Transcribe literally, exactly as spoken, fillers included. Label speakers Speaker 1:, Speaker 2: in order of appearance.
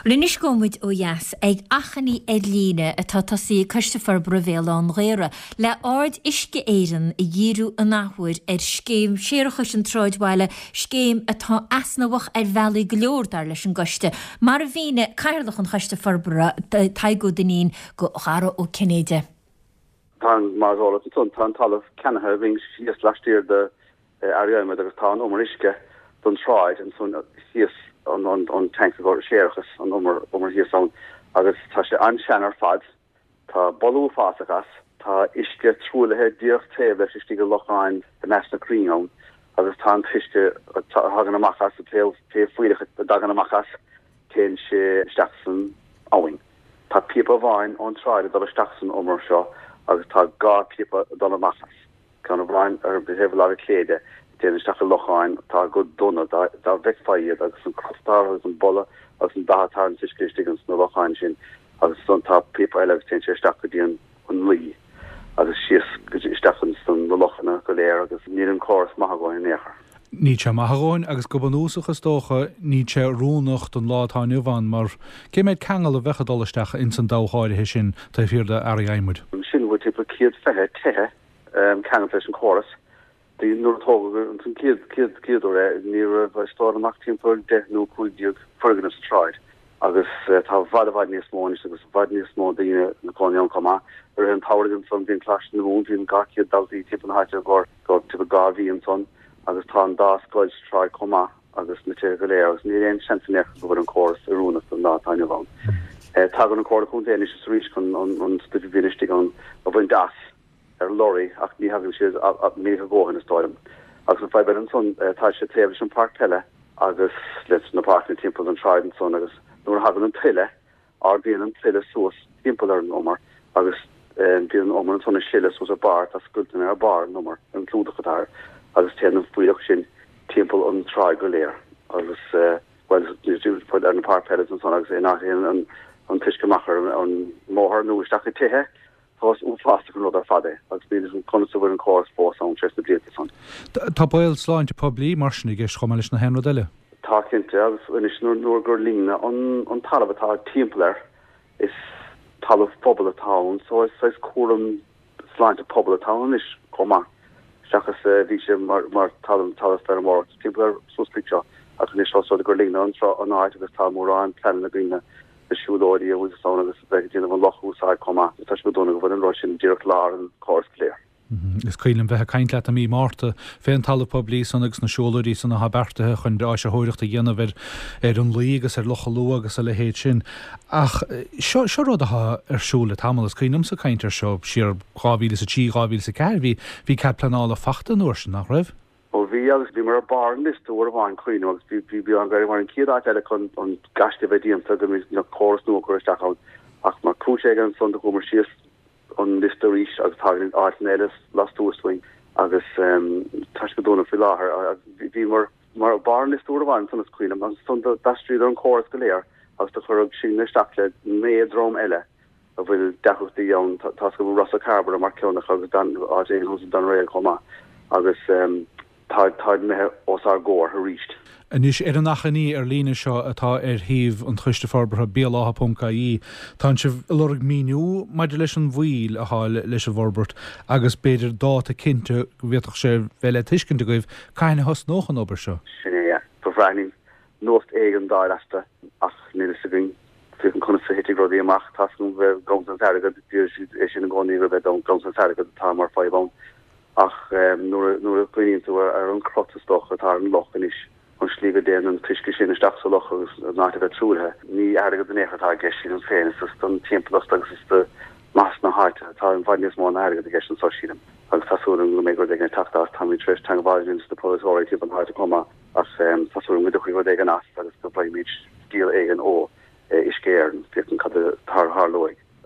Speaker 1: Well anois gabhfaidh muid ó dheas ag achainí ar líne atá tosaithe ag Coiste Forbartha Bhéal Átha an Ghaorthaidh le aird Uisce Éireann a dhíriú an athuair ar scéim séarachais an tsráidbhaile, scéim atá easnamhach ar bhealaí go leor dar leis an gcoiste. Mar a mhínigh Cathaoirleach an Choiste Forbartha Tadhg Ó Duinnín do Dhara Ó Cinnéide.
Speaker 2: Tá mar tá an talamh ceannaithe againn síos laistiar de Earraí Adhmaid agus tá an umar uisce don tsráid ansan thíos an an an tank go séarachas an umar umar thíos ann agus tá sé an-sean ar fad tá boladh uafásach as tá uisce truaillithe díreach taobh leis istigh i locháin i measc na crainn ann agus tá an t-uisce a thagann amach as a taobh taobh fuílleach a dtagann amach as téann sé isteach san abhainn. Tá píopa amháin ón tsráid ag dul isteach san umar seo agus tá dhá phíopa ag dul amach as. Ceann amháin ar thaobh láimhe clé de téann isteach i locháin atá go dona dá bhfeicfeá iad agus an cruth atá agus an boladh agus an dath atá an t-uisce istigh sna locháin sin agus ansan tá píopa eile agus téann sé isteach go dtí an an Laoi agus síos isteach sna na lochanna go léir agus níl an córas maith a dhóthain in aon chor.
Speaker 3: Níl sé maith a dhóthain agus go bunúsach is dócha níl sé oiriúnach don lá atá inniu ann mar cé mhéad ceangal a bheadh ag dul isteach ins an dabhach áirithe sin taobh thiar de Earraí Adhmaid.
Speaker 2: Sin bhfuil timpeall céad fiche tithe ceangailte leis an chóras. Nuair a tógadh an chéad chéad chéad uair é ní raibh is dóigh ach timpeall deich nó cúig déag foirgneamh sa tsráid agus tá i bhfad i bhfad níos mó anois agus i bhfad níos mó daoine ina gcónaí ann chomh maith. I rith an tsamhraidh ansan bhíonn Coláiste na Mumhan bhíonn dhá chéad daltaí timpeall na háite go go timpeall dhá mhí ansan agus tá an dá scoil sa tsráid chomh maith agus na tithe go léir agus níl aon seans in aon chor go bhfuil an córas oiriúnach don lá atá inniu ann. Tagann an Comhairle Contae anois is arís chun an an stuif a bhíonn istigh ann a bhaint as ar lorry ach ní thagann siad minic a dhóthain is dóigh liom. Agus an fadhb eile ansan tá sé taobh leis an páirc peile agus leis na páirceanna timpeall an tsráid ansan agus nuair a thagann an tuile ardaíonn an tuile suas timpeall ar an umar agus bíonn an umar ansan ag sileadh suas ar barr tá scoilteanna ar barr an umar an clúdach atá air agus téann an fuílleach sin timpeall an tsráid go léir agus well ar na páirc peile ansan agus in áit an an t-uisce amach ar an mbóthar nó isteach i tithe Tá uafásach an rud ar fad é agus níl an conas a bhfuil an córas fós ann tar éis na blianta san.
Speaker 3: Tá baol sláinte poiblí mar sin i gceist chomh maith leis na haon rud eile.
Speaker 2: Tá cinnte agus anois nuair nuair gur líonadh an an talamh atá timpeall air is talamh pobail atá ann so is saghas cúram sláinte pobail atá ann anois chomh maith seachas bhí sé mar mar talamh talamh feirmeoireachta timpeall air suas chuig seo ach anois ós rud gur líonadh an tro an áit agus tá mórán pleananna againn na siúlóidí a bhfuil ann agus bheith ag déanamh an loch a úsáid chomh maith. Tá sé go dona go bhfuil an rud sin díreach lár an chóras go léir.
Speaker 3: Is cuimhin liom bheith ag caint leat i mí Márta fén talamh poiblí san agus na siúlóidí san atá beartaithe chun áisitheoireacht a dhéanamh ar ar an Laoi agus ar Loch an Lúath agus a leithéid sin. Ach seo seo rud atá ar siúl le tamall. Is cuimhin liomsa caint air seo siar dhá mhíle is a trí, dhá mhíle is a ceathair. Bhí bhí cead pleanála fachta an uair sin, nach raibh?
Speaker 2: Ó bhí agus bhíomar ar barr an liosta uair amháin cuimhním agus bhí bhí bhí an Ghaeilge mar an chéad áit eile chun an gaiste a bheith déanta go mbeadh na córas nua curtha isteach ann ach mar chúis éigin ansan do chuamar síos an liosta arís agus tagann áiteanna eile lastuas dúinn agus tá sé go dona faoi láthair bhí bhíomar mar barr an liosta uair amháin ansan is cuimhin liom agus ansan d'aistríodar an córas go léir agus do chuireadh sinne isteach le naoi dream eile a bhfuil deacrachtaí ann tá tá go bhfuil Ros Cairbre mar ceann acu agus Dan áit éigin thuas i Doneraile chomh maith agus tá táid imithe os ár gcomhair arís.
Speaker 3: Anois, ar an achainí ar líne seo atá ar shuíomh an Choiste Forbartha, béalátha ponc ie, tánn sibh ag lorg míniú maidir leis an mhoill atá leis an bhforbairt agus b'fhéidir dáta cinnte go bhféadfadh sé bheith le tuiscint agaibh cathain a thosnódh an obair seo.
Speaker 2: Sin é, yeah. Ba bhreá linn nuacht éigin d'fháil astu ach níl fhios againn féachaint conas a thitfidh rudaí amach. Tá 's agam bheith ganntan airgid, deir siad é sin i gcónaí gurb é ganntan airgid atá mar fadhb ann ach nuair nuair a chuimhníonn tú ar an crot is dócha atá ar an loch anois, an slí go dtéann an t-uisce sin isteach sa loch agus an áit a bheith truaillithe, ní airgead in aon chor atá i gceist sílim féin, is don timpeallacht agus is do mhaitheas na háite atá i bhfad níos mó ná airgead i gceist anseo sílim. Agus tá súil agam go mbeidh rud éigin ag teacht as, táimid tar éis teagmháil a dhéanamh leis na polaiteoirí timpeall na háite chomh maith ach tá súil agam go dtiocfaidh rud éigin as agus go bhfaighimid deal éigin ó Uisce Éireann, féachaint cad a tharlóidh.